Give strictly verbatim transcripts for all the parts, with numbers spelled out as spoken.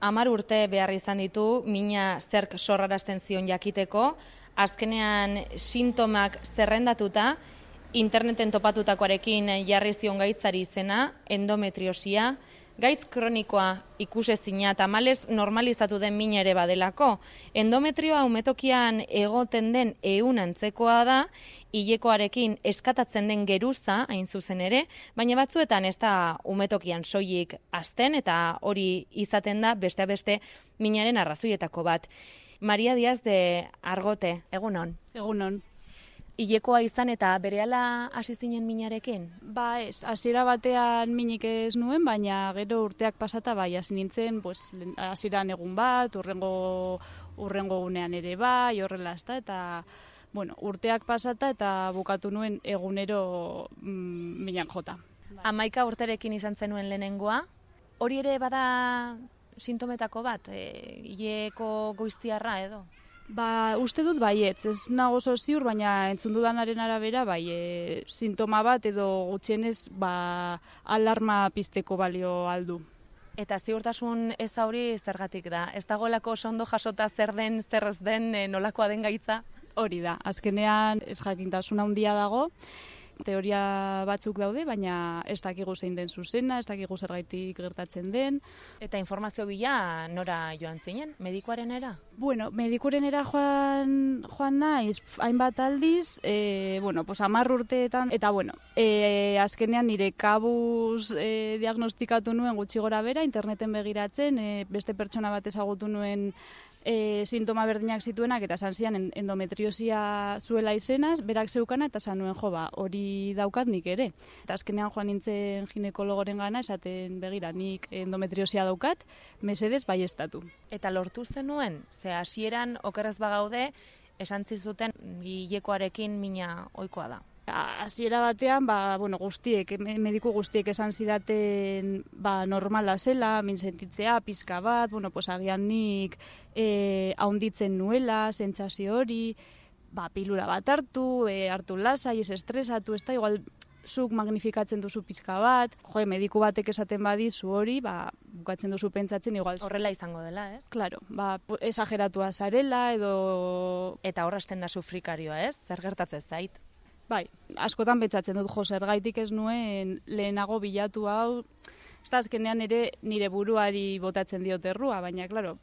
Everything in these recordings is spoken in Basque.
Hamar urte behar izan ditu mina zerk sorrarazten zion jakiteko, azkenean sintomak zerrendatuta, interneten topatutakoarekin jarri zion gaitzari izena, endometriosia, gaitz kronikoa ikusezina tamalez normalizatu den mina ere badelako. Endometrioa umetokian egoten den ehun antzekoa da, hilekoarekin eskatatzen den geruza, hain zuzen ere, baina batzuetan ez da umetokian soilik hazten eta hori izaten da beste beste minaren arrazoietako bat. Maria Díaz de Argote, egunon. Egunon. Hilekoa izan eta berehala hasi zinen minarekin? Ba ez, hasiera batean minik ez nuen, baina gero urteak pasata bai, hasi nintzen, pues, hasieran egun bat, urrengo, urrengo gunean ere bai, horrela ezta, eta bueno, urteak pasata eta bukatu nuen egunero mm, minak jota. Hamaika urterekin izan zenuen lehenengoa, hori ere bada sintometako bat, e, hileko goiztiarra edo? Ba, uste dut baietz, ez nago oso ziur, baina entzun dudanaren arabera, bai, e, sintoma bat edo gutxienez, ba, alarma pizteko balio aldu. Eta ziurtasun ez hori zergatik da? Ez dagoelako oso ondo jasota zer den, zer ez den, e, nolakoa den gaitza? Hori da, azkenean ez jakintasuna handia dago, teoria batzuk daude, baina ez dakigu zein den zuzena, ez dakigu zergaitik gertatzen den. Eta informazio bila nora joan zinen, medikuarenera? Bueno, medikurenera joan, joan naiz, hainbat aldiz, e, bueno, pues hamar urteetan, eta bueno, e, azkenean nire kabuz e, diagnostikatu nuen gutxi gora bera, interneten begiratzen, e, beste pertsona bat ezagutu nuen E, sintoma berdinak zituenak eta esan zian endometriosia zuela izenaz, berak zeukana eta esan nuen jo ba, hori daukat nik ere. Eta azkenean joan nintzen ginekologoren gana esaten begira nik endometriosia daukat, mesedez baieztatu. Eta lortu zenuen, ze hasieran okerrez bagaude, esan zizuten hilekoarekin mina ohikoa da. Hasiera batean, ba, bueno, guztiek, mediku guztiek esan zidaten ba, normala zela, min sentitzea, pizka bat, bueno, pues, agian nik e, haunditzen nuela, sentsazio hori, ba, pilula bat hartu, e, hartu lasai, ez estresatu, ez da, igual zuk magnifikatzen duzu pizka bat, jo, mediku batek esaten badizu hori, ba, bukatzen duzu pentsatzen, igual... Horrela izango dela, ez? Claro, ba, esageratua zarela, edo... Eta horrazten da sufrikarioa, ez? Zer gertatzen zait? Bai, askotan betzatzen dut jo, zergaitik ez nuen lehenago bilatu hau, ez da azkenean ere nire buruari botatzen diot errua, baina, klaro,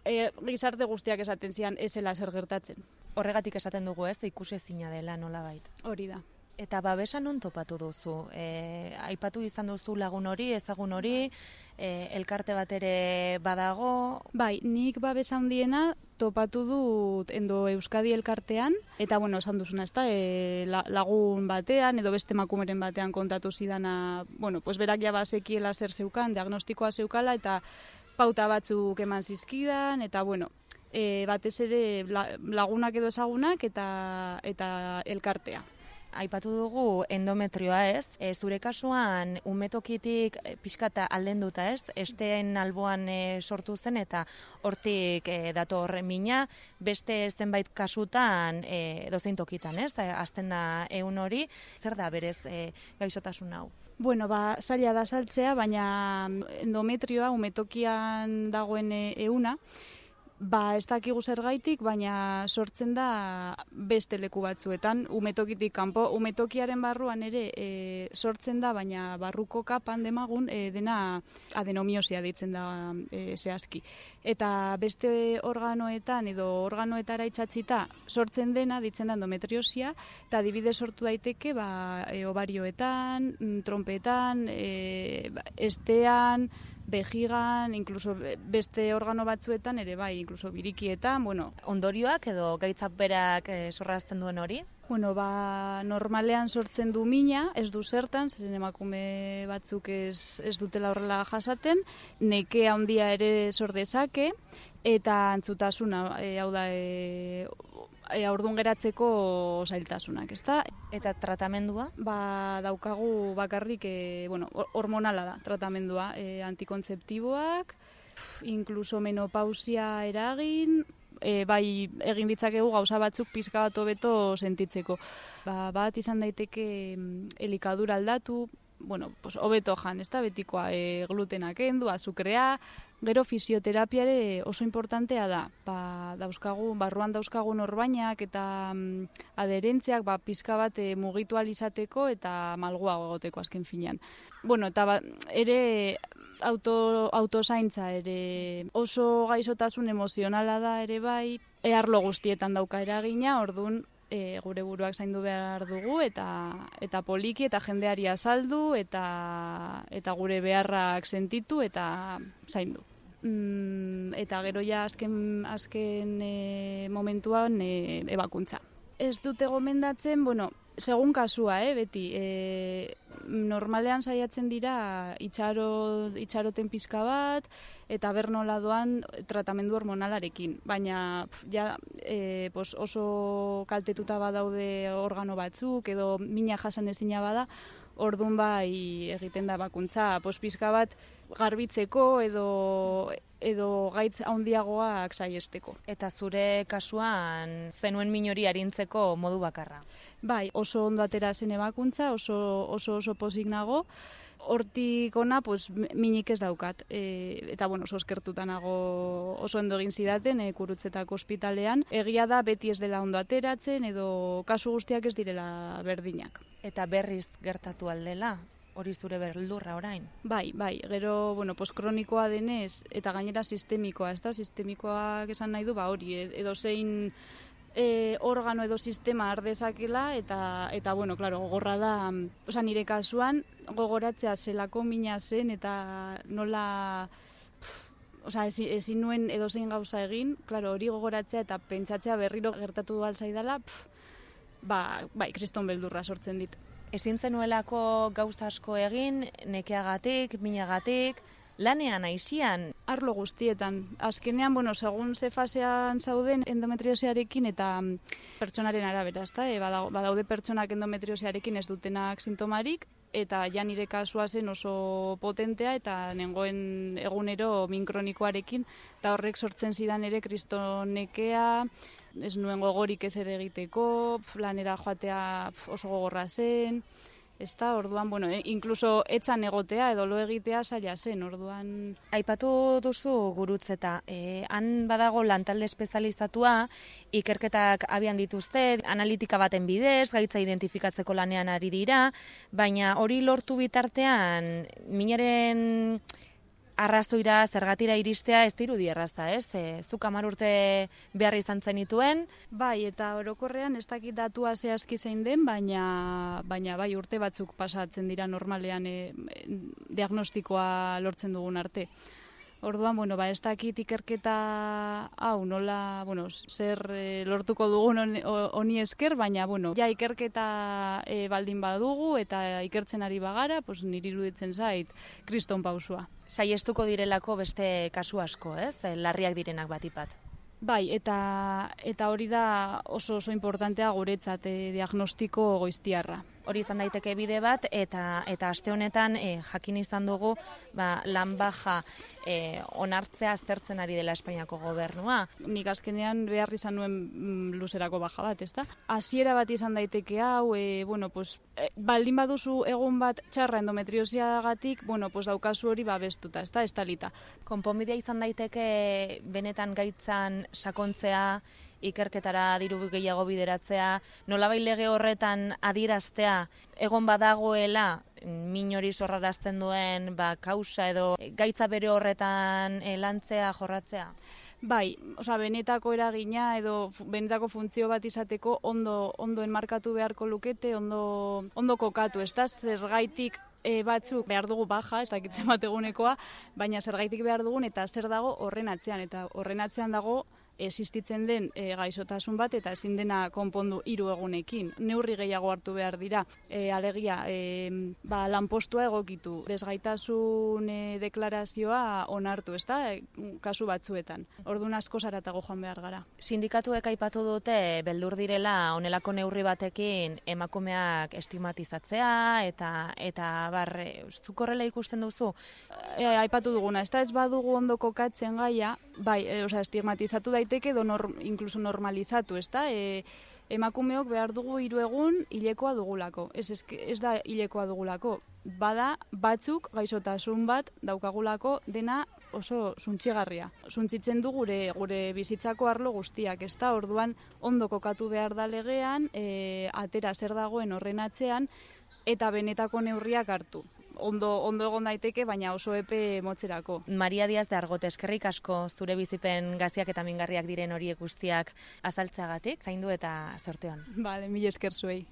e, gizarte guztiak esaten zian ezela zer gertatzen. Horregatik esaten dugu ez, ikusezina dela nolabait. Hori da. Eta babesa non topatu duzu? E, aipatu izan duzu lagun hori, ezagun hori, e, elkarte bat ere badago? Bai, nik babesa handiena topatu dut Endo Euskadi elkartean, eta bueno, esan duzuna, ezta, e, lagun batean, edo beste emakumeren batean kontatu zidana, bueno, pues berak ja bazekiela zer zeukan, diagnostikoa zeukala, eta pauta batzuk eman zizkidan, eta bueno, e, batez ere lagunak edo ezagunak, eta, eta elkartea. Aipatu dugu endometrioa ez, e, zure kasuan umetokitik e, pixkata aldenduta ez, esteen alboan e, sortu zen eta hortik e, dator mina, beste zenbait kasutan e, dozein tokitan ez, e, azten da ehun hori, zer da berez e, gaixotasun hau? Bueno, ba, zaila da saltzea, baina endometrioa umetokian dagoen ehuna, ba, ez dakigu zergaitik, baina sortzen da beste leku batzuetan, umetokitik kanpo, umetokiaren barruan ere e, sortzen da, baina barruko kapan demagun e, dena adenomiosia deitzen da e, zehazki. Eta beste organoetan edo organoetara itxatzita sortzen dena deitzen da endometriosia, eta adibidez sortu daiteke ba, e, ovarioetan, trompetan, e, estean, bejigan, incluso beste organo batzuetan ere bai, incluso birikietan, bueno. Ondorioak edo gaitzak berak e, sorrazten duen hori? Bueno, ba, normalean sortzen du mina, ez du zertan, zeren emakume batzuk ez, ez dutela horrela jasaten, nekea handia ere sor dezake, eta antzutasuna, e, hau da, e, e, aurdun geratzeko zailtasunak, ezta? Eta tratamendua? Ba, daukagu bakarrik, e, bueno, hormonala da, tratamendua, e, antikontzeptiboak, inkluso menopausia eragin, e, bai egin ditzakegu gauza batzuk pizka bat hobeto sentitzeko. Ba, bat izan daiteke elikadura aldatu, bueno, pues, hobeto jan, ez da, betikoa, e, glutenak kendu, azukrea, gero fisioterapiare oso importantea da, ba, dauzkagu, barruan dauzkagun orbainak eta mm, aderentziak, ba, pizka bat e, mugitu alizateko eta malguago egoteko azken finean. Bueno, eta ba, ere auto, autozaintza ere oso gaixotasun emozionala da ere bai, e, arlo guztietan dauka eragina, ordun e, gure buruak zaindu behar dugu eta eta poliki eta jendeari azaldu eta eta gure beharrak sentitu eta zaindu. Mm, eta gero ja azken, azken e, momentuan e, ebakuntza. Ez dute gomendatzen, bueno, segun kasua, eh, beti, e, normalean saiatzen dira itxaro, itxaroten pizka bat, eta bernola doan tratamendu hormonalarekin. Baina pf, ja, e, pos, oso kaltetuta badaude organo batzuk, edo mina jasan ezina bada, ordun bai egiten da bakuntza, pos pizka bat garbitzeko edo edo gaitz handiagoak saiesteko. Eta zure kasuan zenuen min hori arintzeko modu bakarra? Bai, oso ondo atera zen ebakuntza, oso oso oso pozik nago. Hortik ona, pues, minik ez daukat. E, eta, bueno, oso eskertuta nago oso ondo egin zidaten, e, Gurutzetako ospitalean. Egia da, beti ez dela ondo ateratzen, edo kasu guztiak ez direla berdinak. Eta berriz gertatu aldela? Hori zure beldurra orain? Bai, bai, gero, bueno, postkronikoa denez, eta gainera sistemikoa, ez da, sistemikoak esan nahi du, ba hori, edo zein e, organo edo sistema ardezakela, eta, eta bueno, claro, gogorra da, oza, nire kasuan, gogoratzea zelako mina zen, eta nola, oza, ezin, ezin nuen edo zein gauza egin, claro, hori gogoratzea eta pentsatzea berriro gertatu alzaidala, ba, bai, kriston beldurra sortzen dit. Ezin zenuelako gauza asko egin, nekeagatik, minagatik, lanean aizian? Arlo guztietan. Azkenean, bueno, segun ze fasean zauden endometriosiarekin eta pertsonaren arabera, ezta? E, badaude pertsonak endometriosiarekin ez dutenak sintomarik, eta ja nire kasua zen oso potentea eta nengoen egunero min kronikoarekin, eta horrek sortzen zidan ere kristonekea, ez nuen gogorik ez ere egiteko, lanera joatea oso gogorra zen, ezta, orduan, bueno, eh, inkluso etzan egotea edo lo egitea zaila zen, orduan. Aipatu duzu Gurutzeta, eh, han badago lantalde espezializatua, ikerketak abian dituzte, analitika baten bidez, gaitza identifikatzeko lanean ari dira, baina hori lortu bitartean, minaren arrazoira, zergatira iristea ez dirudi erraza, ez? E, zuk hamar urte behar izan zenituen. Bai, eta orokorrean ez dakit datua zehazki zein den, baina, baina bai urte batzuk pasatzen dira normalean e, diagnostikoa lortzen dugun arte. Orduan, bueno, ba, ez dakit ikerketa hau nola, bueno, zer e, lortuko dugun honi esker, baina, bueno, ja ikerketa e, baldin badugu eta ikertzen ari bagara, pues, niri iruditzen zait kriston pausua. Saiestuko direlako beste kasu asko, ez? Larriak direnak batipat. Bai, eta, eta hori da oso oso importantea guretzat e, diagnostiko goiztiarra. Hori izan daiteke bide bat, eta eta aste honetan e, jakin izan dugu ba, lan baja e, onartzea aztertzen ari dela Espainiako gobernua. Nik azkenean behar izan nuen mm, luzerako baja bat, ezta? Hasiera bat izan daiteke hau, e, bueno, pues, e, baldin baduzu egun bat txarra endometriosiagatik, bueno, pues, daukazu hori babestuta, ezta, estalita. Konponbidea izan daiteke benetan gaitzan sakontzea, ikerketara diru gehiago bideratzea, nolabait lege horretan adieraztea egon badagoela min hori sorrarazten duen ba, kausa edo gaitza bere horretan e, lantzea, jorratzea? Bai, osea, benetako eragina edo benetako funtzio bat izateko ondo ondo enmarkatu beharko lukete, ondo ondo kokatu, ezta zergaitik e, batzuk behar dugu baja, ez dakitzen bat egunekoa, baina zergaitik behar dugun eta zer dago horren atzean, eta horren atzean dago existitzen den e, gaixotasun bat eta ezin dena konpondu hiru egunekin. Neurri gehiago hartu behar dira. E, alegia, e, ba, lanpostua egokitu. Desgaitasun e, deklarazioa onartu, ezta? E, kasu batzuetan. Orduan asko zaratago joan behar gara. Sindikatuek aipatu dute beldur direla honelako neurri batekin emakumeak estigmatizatzea eta eta bar, zuk horrela ikusten duzu? E, aipatu duguna, ezta ez badugu ondo kokatzen gaia, bai, e, osea, estigmatizatu daiteke edo nor, inkluso normalizatu, ezta? E, emakumeok behar dugu hiru egun hilekoa dugulako. Ez, ez, ez da hilekoa dugulako. bada batzuk gaixotasun bat daukagulako dena oso zuntzigarria. Zuntzitzen du gure gure bizitzako arlo guztiak, ezta? Orduan ondo kokatu behar da legean, e, atera zer dagoen horren atzean eta benetako neurriak hartu. Ondo, ondo egon daiteke, baina oso epe motzerako. Maria Diaz de Argote, eskerrik asko zure bizipen gaziak eta mingarriak diren horiek guztiak azaltzeagatik, zaindu eta zorte on. Bale, mila esker zuei.